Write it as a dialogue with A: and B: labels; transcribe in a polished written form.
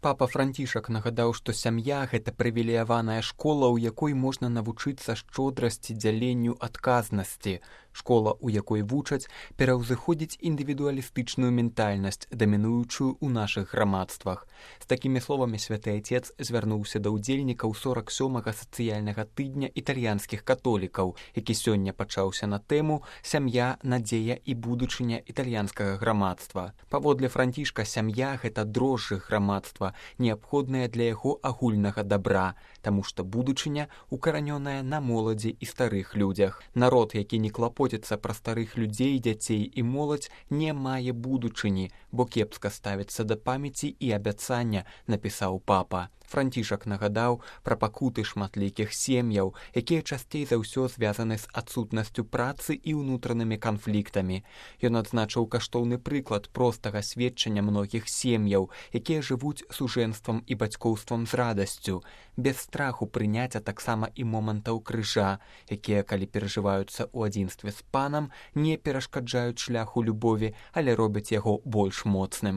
A: Папа Францішак нагадаў, што сям'я – гэта прывілеяваная школа, у якой можна навучыцца шчодрасці, дзяленню, адказнасці. Школа, у якой вучаць, пераўзыходзіць індывідуалістычную ментальнасць, дамінуючую ў нашых грамадствах. З такімі словамі святы Отец звярнуўся да ўдзельнікаў 47-га сацыяльнага тыдня італьянскіх католікаў, які сёння пачаўся на тэму «Сям'я, надзея і будучыня італьянскага грамадства». Паводле Францішка, сям'я – гэта дрожжы грамадства, неабходныя для яго агульнага дабра, таму што будучыня укаранёная на моладзі і старых людзях. Народ, які не клапоціцца пра старых людзей, дзяцей і моладзь, не мае будучыні, бо кепска ставіцца да памяці і абяцання, напісаў папа. Францішак нагадаў пра пакуты шматлікіх сем'яў, якія часцей за ўсё звязаны з адсутнасцю працы і ўнутранымі канфліктамі. Ён адзначыў каштоўны прыклад простага сведчання многіх сем'яў, якія жывуць сужэнствам і бацькоўствам з радасцю, без страху прыняць, а таксама і момантаў крыжа, якія, калі перажываюцца ў адзінстве з панам, не перашкаджаюць шляху любові, але робяць яго больш моцным.